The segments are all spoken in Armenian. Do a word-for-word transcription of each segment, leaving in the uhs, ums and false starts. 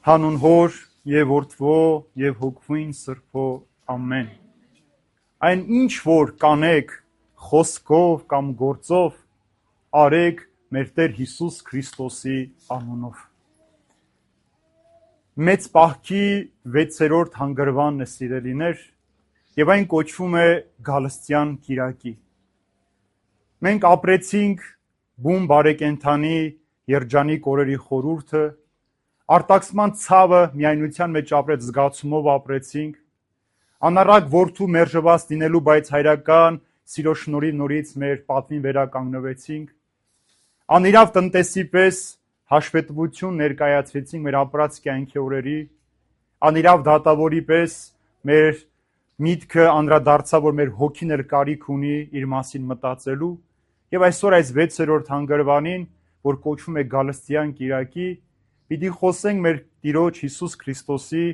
Հանուն Հոր եւ Որդվո եւ Հոգվին Սրբո ամեն։ Այն ինչ որ կանեք խոսքով կամ գործով, արեք մեր Տեր Հիսուս Քրիստոսի անունով։ Մեծ պահքի վեցերորդ հանգրվանն է, սիրելիներ, եւ այն կոչվում է Գալստյան կիրակի։ Մենք ապրեցինք բուն բարեկենդանի երջանիկ օրերի խորհուրդը, արտաքսման ցավը միայնության մեջ ապրեց, զգացումով ապրեցինք, անառակ որդու մերժված լինելու, բայց հայրական սիրո շնորհիվ նորից մեր պատվին վերականգնվեցինք, անիրավ տնտեսի պես հաշվետվություն ներկայացրեցինք մեր ապրած կյանքի օրերի, անիրավ դատավորի պես մեր միտքը անդրադարձավ, որ մեր հոգին էլ կարիք ունի իր մասին մտածելու, եւ այսօր այս վեցերորդ հանգրվանին, որ կոչվում է Գալստյան կիրակի, պիտի խոսենք մեր Տիրոջ Հիսուս Քրիստոսի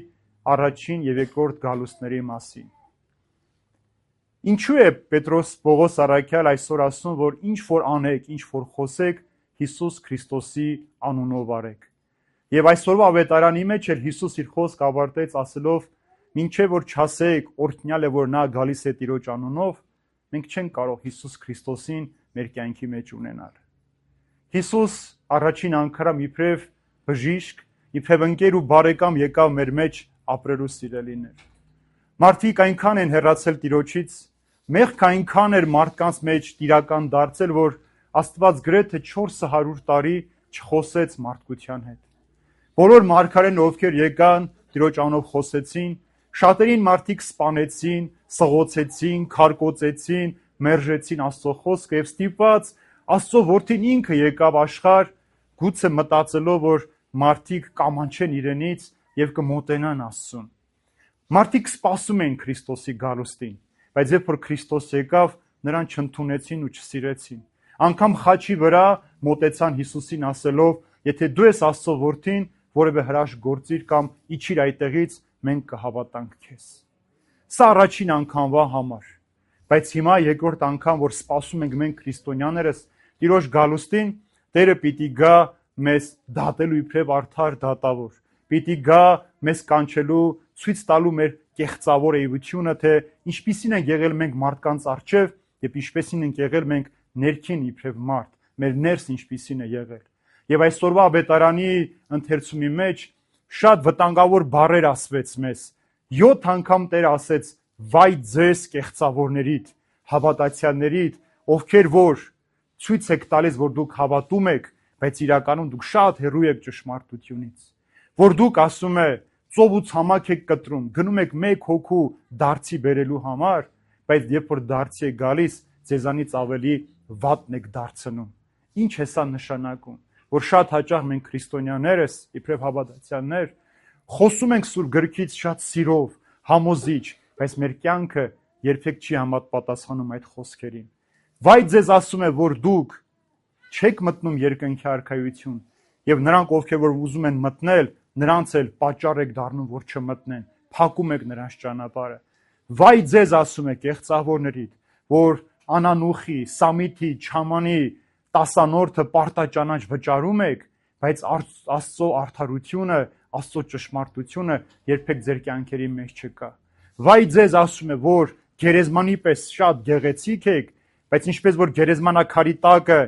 առաջին եւ երկրորդ գալուստների մասին։ Ինչու է Պետրոս Պողոս առաքյալ այսօր ասում, որ ինչ որ անեք, ինչ որ խոսեք, Հիսուս Քրիստոսի անունով արեք։ Եվ այսօրվա ավետարանի մեջ էլ Հիսուս իր խոսք ավարտեց ասելով, մինչև որ չասեք, օրհնյալ է, որ նա գալիս է Տիրոջ անունով, մենք չենք կարող Հիսուս Քրիստոսին մեր կյանքի մեջ ունենալ։ Հիսուս առաջին անգամ իբրև բժիշկ, իբրև ընկեր ու բարեկամ եկավ մեր մեջ ապրելու, սիրելիներ։ Մարդիկ այնքան են հեռացել Տիրոջից, մեղք այնքան էր մարդկանց մեջ տիրական դարձել, որ Աստված գրեթե չորս հարյուր տարի չխոսեց մարդկության հետ։ Բոլոր մարգարեներն, ովքեր եկան Տիրոջ անունով խոսեցին, շատերին մարդիկ սպանեցին, սղոցեցին, քարկոծեցին, մերժեցին Աստծո խոսքը եւ ստիպված Աստծո որդին ինքը եկավ աշխարհ, գուցե մտածելով, որ մարդիկ կամանչեն իրենից եւ կմոտենան Աստծուն։ Մարդիկ սպասում էին Քրիստոսի գալուստին, բայց երբ որ Քրիստոս եկավ, նրան չընդունեցին ու չսիրեցին։ Անկամ խաչի վրա մոտեցան Հիսուսին ասելով, եթե դու ես Աստծո որդին, որևէ հրաշք գործիր կամ իջիր այդտեղից, մենք կհավատանք քեզ։ Սա առաջին անգամվա համար, բայց հիմա երկրորդ անգամ, որ սպասում ենք մենք քրիստոնյաներս Տիրոջ գալուստին, Տերը պիտի գա մեզ դատելու իբրև արդար դատավոր, պիտի գա մեզ կանչելու, ցույց տալու մեր կեղծավոր էությունը, թե ինչպիսին են եղել մենք մարդկանց առջև եւ ինչպիսին ենք եղել մենք ներքին իբրև մարդ, մեր ներս ինչպիսին է եղել։ Եվ այսօրվա ավետարանի ընթերցումի մեջ շատ վտանգավոր բառեր ասվեց մեզ։ յոթ անգամ Տերը ասեց. «Վայ ձեզ կեղծավորներիդ, հավատացյալներիդ, ովքեր որ ցույց եք տալիս, որ դուք հավատում եք, բայց իրականում դուք շատ հեռու եք ճշմարտությունից, որ դուք ասում է ծով ու ցամաք եք կտրում, գնում եք մեկ հոգու դարձի բերելու համար, բայց երբ որ դարձի է գալիս, ձեզանից ավելի վատն եք դարձնում»։ Ինչ է սա նշանակում, որ շատ հաճախ մենք քրիստոնյաներս, իբրև հավատացյալներ, խոսում ենք Սուրբ գրքից շատ սիրով, համոզիչ, բայց մեր կյանքը երբեք չի համապատասխանում այդ խոսքերին։ Վայ ձեզ ասում է, որ դուք չեք մտնում երկնքի արքայություն, եւ նրանք, ովքեր որ ուզում են մտնել, նրանց էլ պատճառ եք դառնում, որ չմտնեն, փակում եք նրանց ճանապարհը։ Վայ ձեզ ասում է կեղծավորներիդ, որ անանուխի, սամիթի, չամանի տասանորդը պարտաճանաչ վճարում եք, բայց Աստծո արդարությունը, Աստծո ճշմարտությունը երբեք ձեր կյանքերի մեջ չկա։ Վայ ձեզ ասում է, որ գերեզմանի պես շատ գեղեցիկ եք, բայց ինչպես որ գերեզմանակարի տակը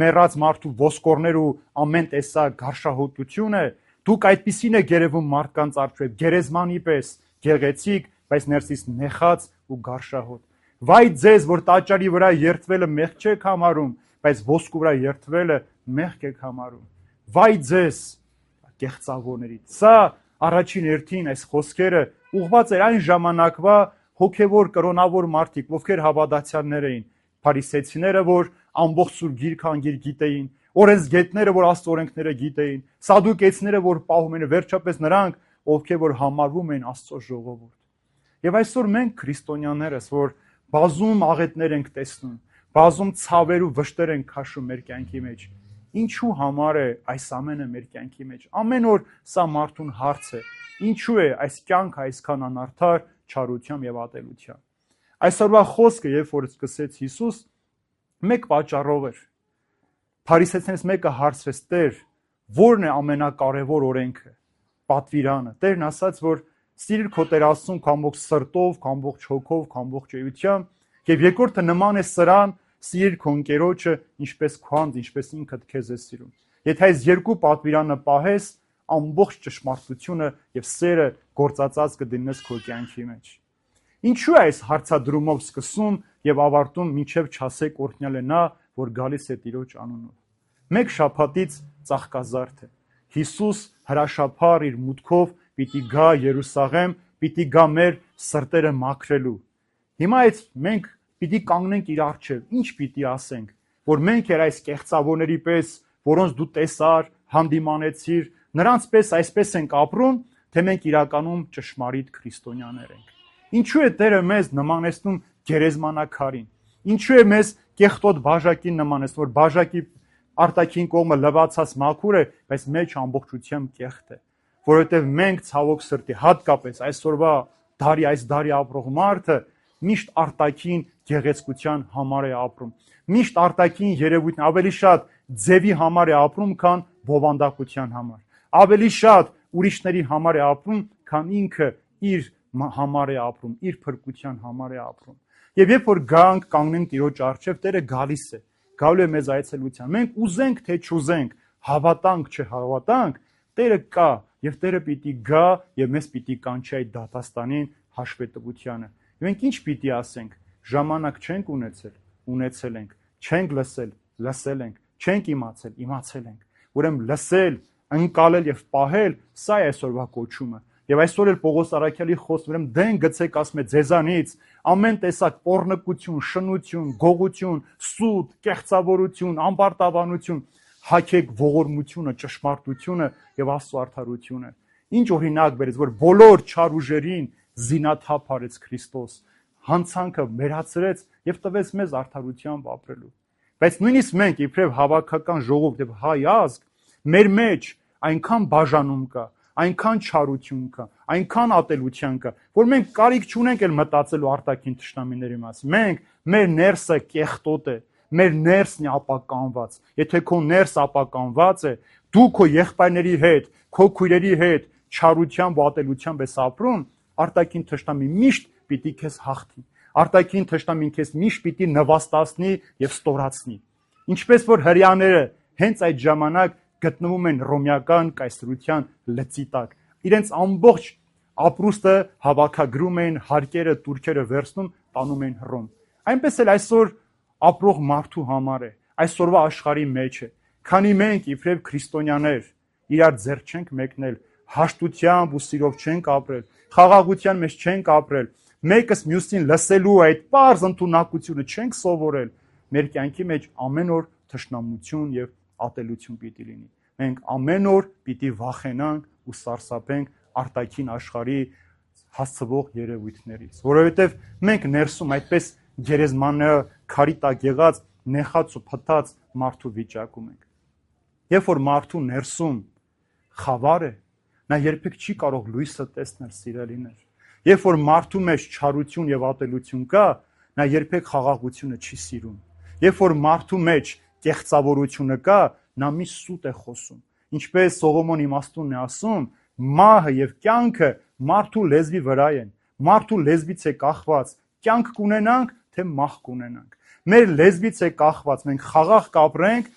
մեռած մարդու ոսկորներ ու ամեն տեսակ գարշահոտություն է, դուք այդպիսին եք երևում մարդկանց առջև, գերեզմանի պես գեղեցիկ, բայց ներսից նեխած ու գարշահոտ։ Վայ ձեզ, որ տաճարի վրա երթվելը մեղք չեք համարում, բայց ոսկու վրա երթվելը մեղք եք համարում։ Վայ ձեզ, կեղծավորներից։ Սա առաջին հերթին այս խոսքերը ուղղված էր այն ժամանակվա հոգևոր կրոնավոր մարդիկ, ովքեր հավատացյալներ էին, փարիսեցիները, որ ամբողջ Սուրբ Գիրքը անգիր գիտեին, օրենսգետները, որ Աստծո օրենքները գիտեին, սադուկեցիները, որ պահում են, վերջապես նրանք, ովքեր որ համարվում են Աստծո ժողովուրդ։ Եվ այսօր մենք քրիստոնյաներս, որ բազում աղետներ ենք տեսնում, բազում ցավեր ու վշտեր ենք քաշում մեր կյանքի մեջ, ինչու համար է այս ամենը մեր կյանքի մեջ։ Ամեն օր սա մարդուն հարց է. ինչու է այս կյանքը այսքան անարդար, չարությամբ եւ ատելությամբ։ Այսօրվա խոսքը, երբ որ սկսեց Հիսուս, մեկ պատճառով էր։ Փարիսեցիներից մեկը հարցրեց. Տեր, ո՞րն է ամենակարևոր օրենքը։ պատվիրանը։ Տերն ասաց, որ սիրիր քո Տեր Աստծուն քո ամբողջ սրտով, քո ամբողջ հոգով, քո ամբողջ էությամբ, եւ երկրորդը նման է սրան, սիրիր քո ընկերոջը, ինչպես քո անձ, ինչպես ինքդ քեզ ես սիրում։ Եթե այս երկու պատվիրանը պահես, ամբողջ ճշմարտությունը եւ սերը գործածած կդնես քո կյանքի մեջ։ Ինչու է այս հարցադրումով սկսում եւ ավարտում մինչեւ չասեք օրհնյալ է նա, որ գալիս է Տիրոջ անունով։ Մեկ շաբաթից ծաղկազարդ է։ Հիսուս հրաշափառ իր մուտքով պիտի գա Երուսաղեմ, պիտի գա մեր սրտերը մաքրելու։ Հիմա այդ մենք պիտի կանգնենք իր առջև, ինչ պիտի ասենք, որ մենք էր այս կեղծավորների պես, որոնց դու տեսար, հանդիմանեցիր, նրանց պես այսպես ենք ապրում, թե մենք իրականում ճշմարիտ քրիստոնյաներ ենք։ Ինչու է Տերը մեզ նմանեցնում գերեզմանակարին։ Ինչու է մեզ կեղտոտ բաժակին նմանեցնում, որ բաժակի արտաքին կողմը լվացած մաքուր է, բայց մեջ ամբողջությամբ կեղտ է։ Որովհետև մենք ցավոք սրտի, հատկապես այսօրվա դարի այս դարի ապրող մարդը միշտ արտաքին գեղեցկության համար է ապրում։ Միշտ արտաքին երևույթն ավելի շատ ձևի համար է ապրում, քան բովանդակության համար։ Ավելի շատ ուրիշների համար է ապրում, քան ինքը իր համար է ապրում, իր փրկության համար է ապրում։ Եվ երբ որ գանք կանգնենք Տիրոջ առջև, Տերը գալիս է, գալու է մեզ այցելության։ Մենք ուզենք թե չուզենք, հավատանք չհավատանք, Տերը կա եւ Տերը պիտի գա եւ մեզ պիտի կանչի այդ դատաստանին, հաշվետվությանը։ Մենք ինչ պիտի ասենք։ Ժամանակ չենք ունեցել, ունեցել ենք, չենք լսել, լսել ենք, չենք իմացել, իմացել ենք։ Ուրեմն լսել, ընկալել եւ պահել, սա է այսօրվա կոչումը։ Եվ այսօր էլ Պողոս Առաքյալի խոսքը, ուրեմն դեն գցեք, ասում է, ձեզանից ամեն տեսակ պոռնկություն, շնություն, գողություն, սուտ, կեղծավորություն, ամբարտավանություն, հագեք ողորմությունը, ճշմարտությունը եւ Աստծո արդարությունը։ Ինչ օրինակ բերեց, որ բոլոր չար ուժերին զինաթափ արեց Քրիստոս, հանցանքը մերացրեց եւ տվեց մեզ արդարությամբ ապրելու։ Բայց նույնիսկ մենք իբրև հավաքական ժողով եւ հայ ազգ, մեր մեջ այնքան բաժանում կա, այնքան չարություն կա, այնքան ատելության կա, որ մենք կարիք չունենք էլ մտածելու արտաքին թշնամիների մասին։ Մենք մեր ներսը կեղտոտ է, մեր ներսն է ապականված։ Եթե քո ներս ապականված է, դու քո եղբայրների հետ, քո քույրերի հետ չարությամբ ու ատելությամբ ես ապրում, արտաքին թշնամի միշտ պիտի քեզ հաղթի։ Արտաքին թշնամին քեզ միշտ պիտի նվաստացնի եւ ստորացնի։ Ինչպես որ հрьяաները հենց այդ ժամանակ գտնվում են ռոմեական կայսրության լծի տակ։ Իրենց ամբողջ ապրուստը հավաքագրում են, հարկերը, տուրքերը վերցնում, տանում են Հռոմ։ Այնպես էլ այսօր ապրող մարդու համար է, այսօրվա աշխարհի մեջ է։ Քանի մենք իբրև քրիստոնյաներ իրար ձեռ չենք մեկնել, հաշտությամբ ու սիրով չենք ապրել, խաղաղության մեջ չենք ապրել, մեկս մյուսին լսելու այդ պարզ ընդունակությունը չենք սովորել, մեր կյանքի մեջ ամեն օր թշնամություն եւ ատելություն պիտի լինի։ Մենք ամեն օր պիտի վախենանք ու սարսափենք արտաքին աշխարհի հասցվող երևույթներից, որովհետեւ մենք ներսում այդպես գերեզմանը քարի տակ եղած նեխած ու փտած մարդու վիճակում ենք։ Երբ որ մարդու ներսում խավար է, նա երբեք չի կարող լույսը տեսնել, սիրելիներ։ Երբ որ մարդու մեջ չարություն եւ ատելություն կա, նա երբեք խաղաղությունը չի սիրում։ Երբ որ մարդու մեջ կեղծավորությունը կա, նա մի սուտ է խոսում։ Ինչպես Սողոմոն իմաստունն է ասում, մահը եւ կյանքը մարդու լեզվի վրա են։ Մարդու լեզվից է կախված, կյանք կունենանք, թե մահ կունենանք։ Մեր լեզվից է կախված, մենք խաղաղ կապրենք,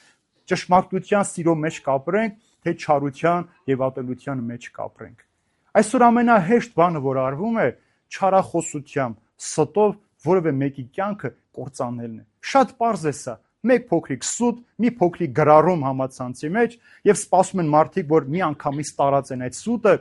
ճշմարտության սիրո մեջ կապրենք, թե չարության եւ ատելության մեջ կապրենք։ Այսօր ամենահեշտ բանը, որ արվում է, չարախոսությամբ, ստով որևէ մեկի կյանքը կործանելն է։ Շատ պարզ է սա։ Մեկ փոքրիկ սուտ, մի փոքրիկ գրառում համացանցի մեջ եւ սպասում են մարդիկ, որ մի անգամից տարածեն այդ սուտը,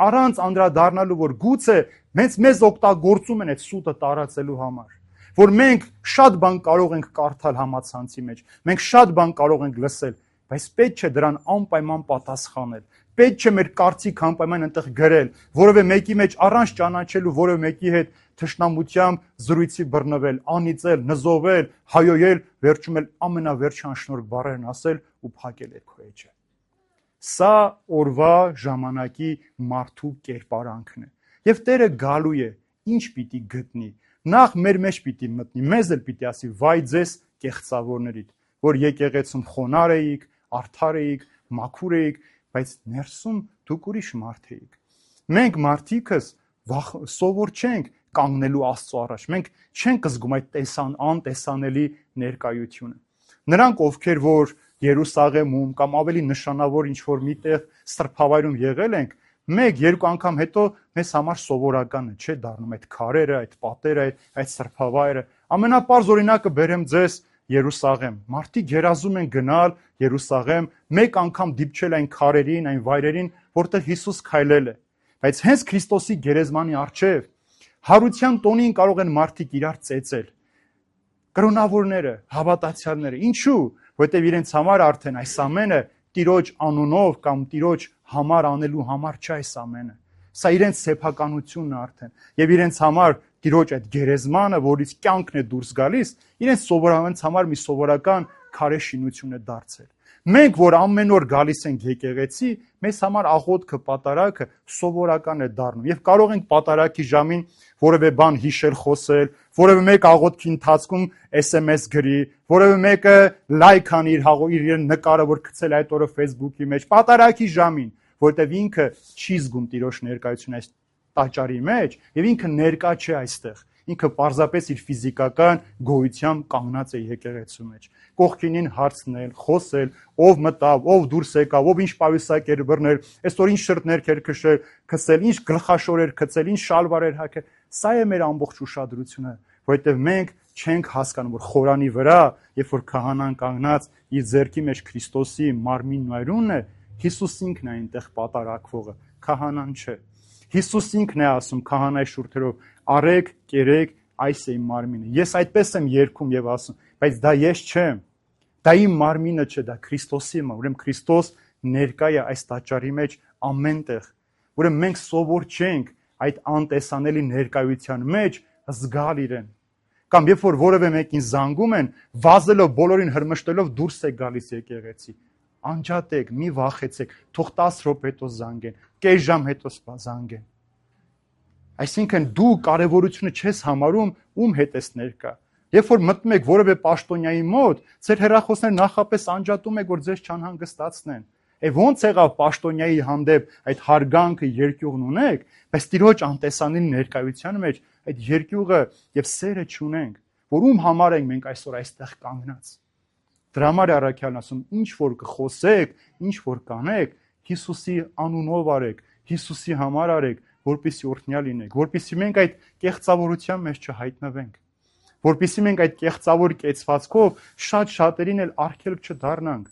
առանց անդրադառնալու, որ գուցե մեզ մեզ օգտագործում են այդ սուտը տարածելու համար։ Որ մենք շատ բան կարող ենք կարդալ համացանցի մեջ, մենք շատ բան կարող ենք լսել, բայց պետք չէ դրան անպայման պատասխանել։ Պետք չէ մեր կարծիք անպայման այնտեղ գրել, որովե մեկի մեջ առանց ճանաչելու որևէ մեկի հետ թշնամությամբ զրույցի բռնվել, անիծել, նզովել, հայոյել, վերջում էլ ամենավերջին անշնորհք բառերն ասել ու փակել այդ քո էջը։ Սա օրվա ժամանակի մարդու կերպարանքն է։ Եվ Տերը գալու է, ինչ պիտի գտնի։ Նախ մեր մեջ պիտի մտնի, մեզ էլ պիտի ասի՝ վայ ձեզ կեղծավորներիդ, որ եկեղեցում խոնար էիք, արդար էիք, մաքուր էիք, բայց ներսում դուք ուրիշ մարդ էիք։ Մենք մարդիկս սովոր չենք կանգնելու Աստծո առաջ։ Մենք չենք զգում այդ տեսան անտեսանելի ներկայությունը։ Նրանք, ովքեր որ Երուսաղեմում կամ ավելի նշանավոր ինչ որ միտեղ սրբավայրում եղել ենք, մեկ երկու անգամ հետո մեզ համար սովորական է, չէ՞ դառնում այդ քարերը, այդ պատերը, այդ սրբավայրը։ Ամենապարզ օրինակը բերեմ ձեզ Երուսաղեմ։ Մարդիկ երազում են գնալ Երուսաղեմ, մեկ անգամ դիպչել այն քարերին, այն վայրերին, որտեղ Հիսուս քայլել է։ Բայց հենց Քրիստոսի գերեզմանի առջև հարության տոնին կարող են մարդիկ իրար ծեծել։ Կրոնավորները, հավատացյալները, ինչու՞, որտեղ իրենց համար արդեն այս ամենը Տիրոջ անունով կամ Տիրոջ համար անելու համար չէ այս ամենը։ Սա իրենց սեփականությունն է արդեն։ Եվ իրենց համար Տիրոջ այդ գերեզմանը, որից կյանքն է դուրս գալիս, իրենց սովորականից համար մի սովորական քարե շինություն է դարձել։ Մենք, որ ամեն օր գալիս ենք եկեղեցի, մեզ համար աղոթքը, պատարագը սովորական է դառնում։ Եվ կարող ենք պատարագի ժամին որևէ բան հիշել, խոսել, որևէ մեկ աղոթքի ընթացքում էս էմ էս գրի, որևէ մեկը լայք անի իր իր նկարը, որ գցել այդ օրը Facebook-ի մեջ, պատարագի ժամին, որտեվ ինքը չի զգում Տիրոջ ներկայությունը այս տաճարի մեջ, եւ ինքը ներկա չէ այստեղ։ Ինքը պարզապես իր ֆիզիկական գոյությամբ կանգնած է եկեղեցու մեջ։ Կողքինին հարցնել, խոսել, ով մտավ, ով դուրս եկավ, ով ինչ պայուսակեր բռնել, այսօր ինչ շրթներ էր քշել, քսել, ինչ գլխաշորեր գցել, ինչ շալվարեր հագել։ Սա է մեր ամբողջ ուշադրությունը, որովհետև մենք չենք հասկանում, որ խորանի վրա, երբ որ քահանան կանգնած իր ձեռքի մեջ Քրիստոսի մարմինն ու այրունն է, Հիսուս ինքն է այնտեղ պատարակվողը, քահանան չէ։ Հիսուս ինքն է ասում քահանայի շուրթերով. «Արեք, կերեք, այս է իմ մարմինը»։ Ես այդպես եմ երգում եւ ասում, բայց դա ես չեմ։ Դա իմ մարմինը չէ, դա Քրիստոսի է։ Ուրեմն Քրիստոս ներկա է այս տաճարի մեջ ամենտեղ։ Ուրեմն մենք սովոր չենք այդ անտեսանելի ներկայության մեջ զգալ իրեն։ Կամ երբ որ որևէ մեկին զանգում են, վազելով, բոլորին հրմշտելով դուրս է գալիս եկեղեցի։ Անջատեք, մի վախեցեք, թող տասը րոպե հետո զանգեն, կես ժամ հետո զանգեն։ Այսինքն դու կարևորությունը չես համարում ում հետ ես ներկա։ Երբ որ մտնում եք որևէ պաշտոնյայի մոտ, ձեր հեռախոսները նախապես անջատում եք, որ ձեզ չանհանգստացնեն։ Եվ ոնց եղավ պաշտոնյայի հանդեպ այդ հարգանքը, երկյուղն ունեք, բայց Տիրոջ անտեսանելի ներկայության մեջ այդ երկյուղը եւ սերը չունենք, որ ում համար ենք մենք այսօր այստեղ կանգնած։ Դրա համար է առաքյալն ասում, ինչ որ կխոսեք, ինչ որ կանեք, Հիսուսի անունով արեք, Հիսուսի համար արեք, որպեսզի օրհնյալ լինեք, որպեսզի մենք այդ կեղծավորության մեջ չհայտնվենք, որպեսզի մենք այդ կեղծավոր կեցվածքով շատ շատերին էլ արգելք չդառնանք,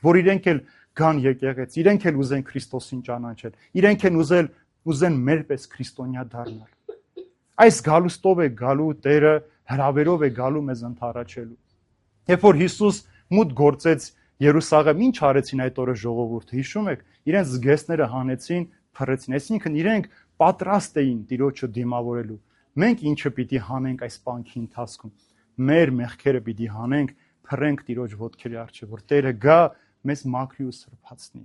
որ իրենք էլ գան եկեղեցի, իրենք էլ ուզեն Քրիստոսին ճանաչել, իրենք էլ ուզել ուզեն մեր պես քրիստոնյա դառնալ։ Այս գալուստով է գալու Տերը, հրավերով է գալու մեզ ընդառաջելու։ Երբ որ Հիսուս մուտք գործեց Երուսաղեմ, ինչ արեցին այդ օրը ժողովուրդը, հիշում եք, իրենց զգեստները հանեցին, փռեցին, այսինքն իրենք պատրաստ էին Տիրոջը դիմավորելու։ Մենք ինչը պիտի հանենք այս պանքի ընթացքում։ Մեր մեղքերը պիտի հանենք, փռենք Տիրոջ ոտքերի առջև, որ Տերը գա մեզ մաքրի ու սրբացնի։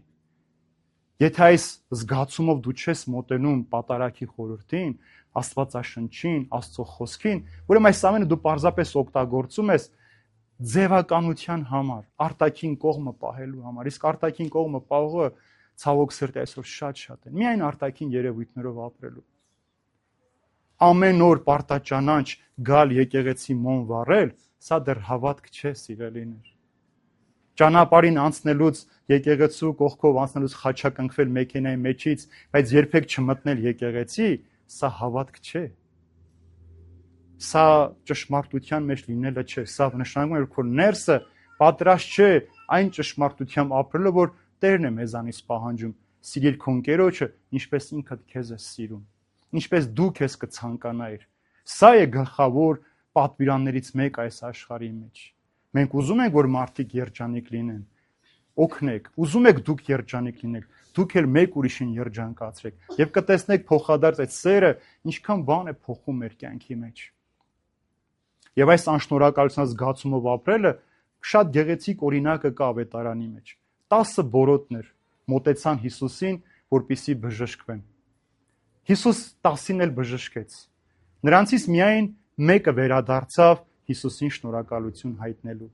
Եթե այս զգացումով դու չես մոտենում պատարագի խորհրդին, Աստվածաշնչին, Աստծո խոսքին, ուրեմն այս ամենը դու պարզապես օգտագործում ես ձևականության համար, արտաքին կողմը պահելու համար, իսկ արտաքին կողմը պահողը ցավոք սրտի այսօր շատ-շատ են, միայն արտաքին երևույթներով ապրելու։ Ամեն օր պարտաճանաչ գալ եկեղեցի մոմ վառել, սա դեռ հավատք չէ, սիրելիներ։ Ճանապարհին անցնելուց, եկեղեցու կողքով անցնելուց խաչակնքվել մեքենայի մեջից, բայց երբեք չմտնել եկեղեցի, սա հավատք չէ։ Սա ճշմարտության մեջ լինելը չէ, սա նշանակում է, որ քո ներսը պատրաստ չէ այն ճշմարտությամբ ապրելու, որ Տերն է մեզանից պահանջում։ Սիրիր քո ընկերոջը, ինչպես ինքդ քեզ ես սիրում, ինչպես դու քեզ կցանկանայիր։ Սա է գլխավոր պատվիրաններից մեկը այս աշխարհի մեջ։ Մենք ուզում ենք, որ մարդիկ երջանիկ լինեն։ Օգնեք, ուզում եք դուք երջանիկ լինեք, դուք էլ մեկ ուրիշին երջանկացրեք եւ կտեսնեք փոխադարձ այդ սերը ինչքան բան է փոխում մեր կյանքի մեջ։ Եվ այս անշնորհակալության զգացումով ապրելը շատ գեղեցիկ օրինակը կա Ավետարանի մեջ։ տասը բորոտներ մոտեցան Հիսուսին, որպեսզի բժշկվեն։ Հիսուս տասին էլ բժշկեց։ Նրանցից միայն մեկը վերադարձավ Հիսուսին շնորհակալություն հայտնելու։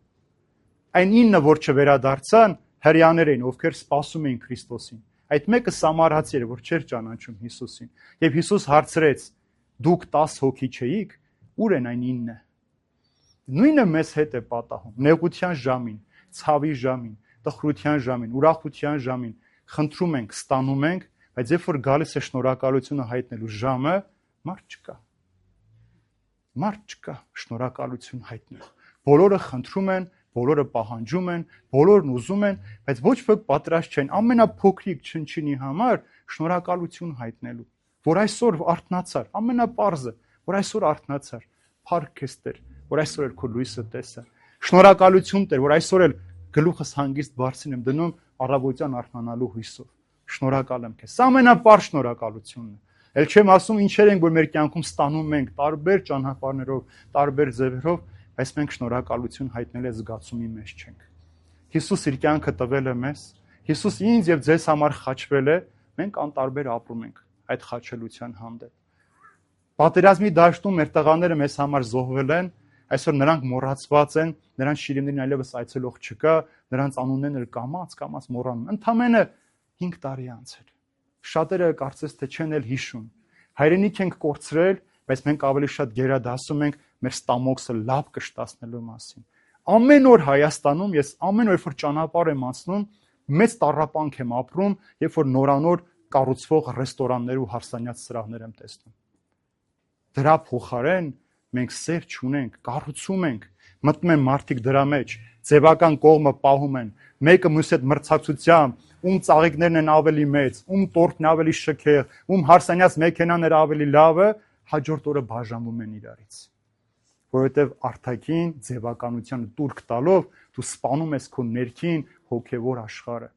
Այն ինը, որ չվերադարձան, հрեաներ էին, ովքեր սպասում էին Քրիստոսին։ Այդ մեկը սամարացի էր, որ չէր ճանաչում Հիսուսին։ Եվ Հիսուս հարցրեց. դուք տաս հոգի չէիք, ուր են այն ինը։ Նույնը մեզ հետ է պատահում, նեղության ժամին, ցավի ժամին, տխրության ժամին, ուրախության ժամին, խնդրում ենք, ստանում ենք, բայց երբ որ գալիս է շնորհակալությունը հայտնելու ժամը, մարդ չկա։ Մարդ չկա շնորհակալություն հայտնելու։ Բոլորը խնդրում են, բոլորը պահանջում են, բոլորն ուզում են, բայց ոչ ոք պատրաստ չեն ամենափոքրիկ չնչինի համար շնորհակալություն հայտնելու, որ այսօր արթնացար, ամենապարզը, որ այսօր արթնացար, փառք քեզ Տեր, որ այսօր էլ քո լույսը տեսա։ Շնորհակալություն Տեր, որ այսօր էլ գլուխս հանգիստ բարձին եմ դնում առավոտյան արթնանալու հույսով։ Շնորհակալ եմ քեզ։ Սա ամենապարզ շնորհակալությունն է։ Էլ չեմ ասում ինչեր ենք, որ մեր կյանքում ստանում ենք տարբեր ճանապարհներով, տարբեր ձևերով, բայց մենք շնորհակալություն հայտնել է զգացումի մեջ չենք։ Հիսուս իր կյանքը տվել է մեզ, Հիսուս ինձ եւ ձեզ համար խաչվել է, մենք անտարբեր ապրում ենք այդ խաչելության հանդեպ։ Պատերազմի դաշտում մեր տղաները մեզ համար զոհվել են, այսօր նրանք մոռացված են, նրանց շիրիմներին այլևս այցելող չկա, նրանց անուններն էլ կամաց, կամաց մոռանում։ Ընդամենը հինգ տարի անցել։ Շատերը կարծես թե չեն էլ հիշում։ Հայրենիք ենք կորցրել, բայց մենք ավելի շատ գերադասում ենք մեր ստամոքսը լավ կշտացնելու մասին։ Ամեն օր Հայաստանում ես ամեն օր որ ճանապարհ եմ անցնում, մեծ տառապանք եմ ապրում, երբ որ նորանոր կառուցվող ռեստորաններ ու հարսանյաց սրահներ եմ տեսնում։ Դրա փոխարեն մենք սեր չունենք, կառուցում ենք, մտնում են մարդիկ դրա մեջ, ձևական կողմը պահում են, մեկը մյուսի հետ մրցակցությամբ, ում ծաղիկներն են ավելի մեծ, ում տորտն ավելի շքեղ, ում հարսանյաց մեքենաները ավելի լավը, հաջորդ օրը բաժանվում են իրարից։ Որովհետև արտաքին ձևականությանը տուրք տալով դու սպանում ես քո ներքին հոգևոր աշխարհը։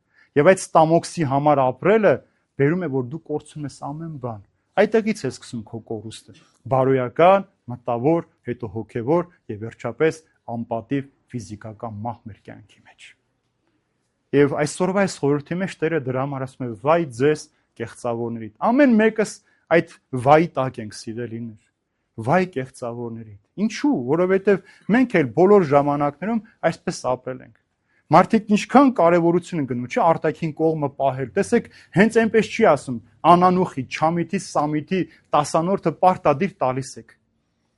Եվ այդ ստամոքսի համար ապրելը բերում է, որ դու կորցնում ես ամեն բան։ Այդտեղից է սկսում քո կորուստը։ Բարոյական, մտավոր, հետո հոգևոր եւ վերջապես անպատիվ ֆիզիկական մահ մեր կյանքի մեջ։ Եվ այսօրվա այս խորհրդի մեջ Տերը դրա համար ասում է. վայ ձեզ կեղծավորներիդ։ Ամեն մեկս այդ վայի տակ ենք սիրելիներ։ Վայ կեղծավորներիդ։ Ինչու՞, որովհետև մենք էլ բոլոր ժամանակներում այսպես ապրել ենք։ Մարդիկ ինչքան կարևորություն են գնում, չէ՞, արտաքին կողմը պահել։ Տեսեք, հենց այնպես չի ասում. անանուխի, չամիթի, սամիթի տասանորդը պարտադիր տալիս եք։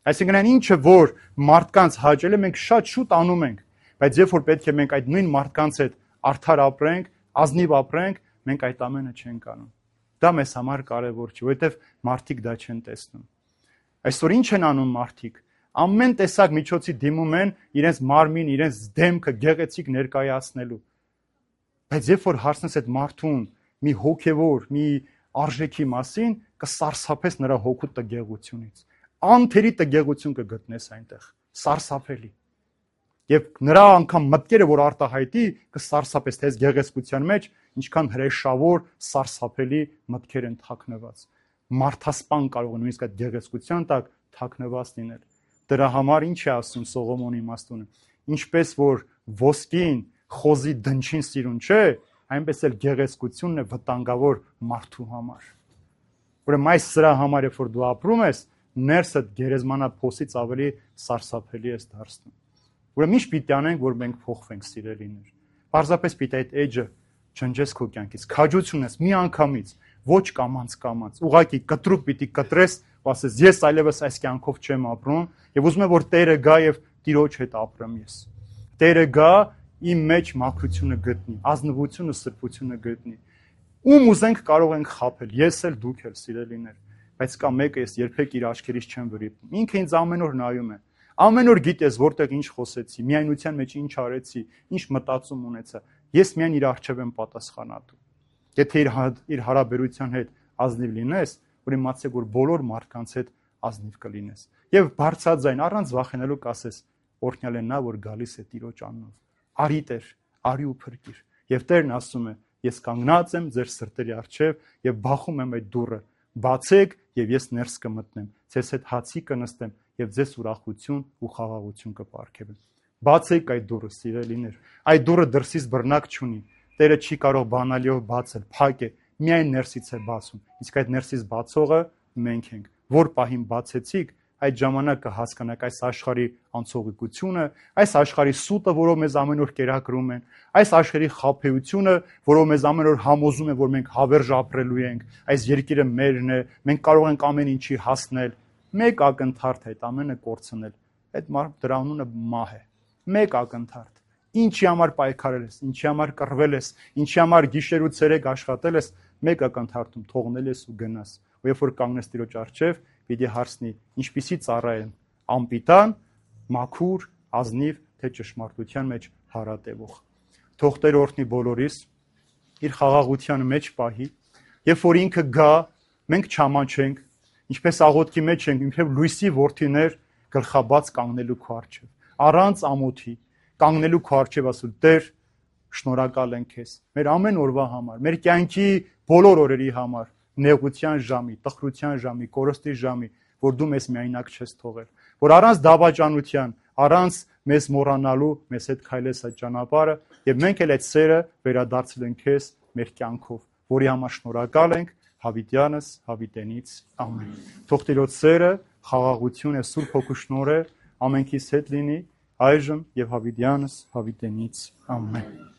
Այսինքն այն ինչը որ մարդկանց հաճել է, մենք շատ շուտ անում ենք, բայց երբ որ պետք է մենք այդ նույն մարդկանց հետ արդար ապրենք, ազնիվ ապրենք, մենք այդ ամենը չենք անում։ Դա մեզ համար կարևոր չէ, որովհետև մարդիկ դա չեն տեսնում։ Այսօր ինչ են անում մարդիկ։ Ամեն տեսակ միջոցի դիմում են իրենց մարմին, իրենց դեմքը գեղեցիկ ներկայացնելու։ Բայց երբ որ հարցնես այդ մարդուն մի հոգևոր, մի արժեքի մասին, կսարսափես նրա հոգու տգեղությունից։ Անթերի տգեղություն կգտնես այնտեղ, սարսափելի։ Եվ նրա անգամ մտքերը, որ արտահայտի, կսարսափես թե այս գեղեցկության մեջ, ինչքան հրեշավոր, սարսափելի մտքեր են թաքնված։ Մարդասպան կարող է նույնիսկ այդ գեղեցկության տակ թաքնված լինել։ Դրա համար ինչ է ասում Սողոմոնի իմաստունը։ Ինչպես որ ոսկին խոզի դնչին սիրուն չէ, այնպես էլ գեղեցկությունն է վտանգավոր մարդու համար։ Ուրեմն այս սրա համար երբ որ դու ապրում ես, ներսդ գերեզմանա փոսից ավելի սարսափելի ես դարձնում։ Ուրեմն ինչ պիտի անենք, որ մենք փոխվենք սիրելիներ։ Պարզապես պիտի այդ էջը ջնջես քո կյանքից, քաջություն ես մի անգամից, ոչ կամանց կամանց, ուղղակի կտրուկ պիտի կտրես, ու ասես ես այլևս այս կյանքով չեմ ապրում, եւ ուզում եմ որ Տերը գա եւ Տիրոջ հետ ապրեմ ես։ Տերը գա իմ մեջ մաքրությունը գտնի, ազնվությունը, սրբությունը գտնի։ Ում ուզենք կարող ենք խաբել, ես էլ դուք էլ սիրելիներ, բայց կա մեկը ես երբեք իր աչքերից չեմ վրիպում։ Ինքը ինձ ամեն օր նայում է։ Ամեն օր գիտես որտեղ ինչ խոսեցի, միայնության մեջ ինչ արեցի, ինչ մտածում ունեցա։ Ես միայն իր առջև եմ պատասխանատու։ Եթե իր իր հարաբերության հետ ազնիվ լինես, ուրեմն իմացեք որ բոլոր մարդկանց հետ ազնիվ կլինես։ Եվ բարձրաձայն առանց վախենալու կասես. օրհնյալ է նա, որ գալիս է Տիրոջ անունով։ Արի Տեր, արի ու փրկիր։ Եվ Տերն ասում է. ես կանգնած եմ ձեր սրտերի առջև եւ բախում եմ այդ դուռը։ Բացեք եւ ես ներս կմտնեմ, ձեզ հետ հացի կնստեմ եւ ձեզ ուրախություն ու խաղաղություն կպարգևեմ։ Բացեք այդ դուռը, սիրելիներ։ Այդ դուռը դրսից բռնակ չունի։ Տերը չի կարող բանալիով բացել, փակ է, միայն ներսից է բացում։ Իսկ այդ ներսից բացողը մենք ենք։ Որ պահին բացեցիք, այդ ժամանակ կհասկանաք այս աշխարհի անցողիկությունը, այս աշխարհի սուտը, որով մեզ ամեն օր կերակրում են, այս աշխարհի խաբեությունը, որով մեզ ամեն օր համոզում են, որ մենք հավերժ ապրելու ենք, այս երկիրը մերն է, մենք կարող ենք ամեն ինչի հասնել, մեկ ակնթարթ է այդ ամենը կորցնել։ Այդ դրա անունը մահ է։ Մեկ ակնթարթ։ Ինչի համար պայքարել ես, ինչի համար կռվել ես, ինչի համար գիշեր ու ցերեկ աշխատել ես, մեկ ակնթարթում թողնել ես ու գնաս։ Ու երբ որ կանգնես Տիրոջ առջև, պիտի հարցնի, ինչպիսի ծառա եմ, անպիտան, մաքուր, ազնիվ, թե ճշմարտության մեջ հարատևող։ Թող Տեր օրհնի բոլորիս, իր խաղաղության մեջ պահի, երբ որ ինքը գա, մենք չամանչենք, ինչպես աղոթքի մեջ ենք, ինքև լույսի որդիներ գլխաբաց կանգնելու քո առջև, առանց ամոթի, կանգնելու քո առջև ասել Տեր, շնորհակալ ենք քեզ, մեր ամեն օրվա համար, մեր կյանքի բոլոր օրերի համար, նեղության ժամի, տխրության ժամի, կորստի ժամի, որ դու մեզ միայնակ չես թողել, որ առանց դավաճանության, առանց մեզ մոռանալու մեզ հետ քայլես այդ ճանապարհը, եւ մենք էլ այդ սերը վերադարձել ենք քեզ մեր կյանքով, որի համար շնորհակալ ենք Հավիտյանս, Հավիտենից, ամեն։ Թող Տիրոջ սերը, խաղաղությունը, Սուրբ Հոգու շնորհը ամենքիս հետ լինի այժմ եւ Հավիտյանս, Հավիտենից, ամեն։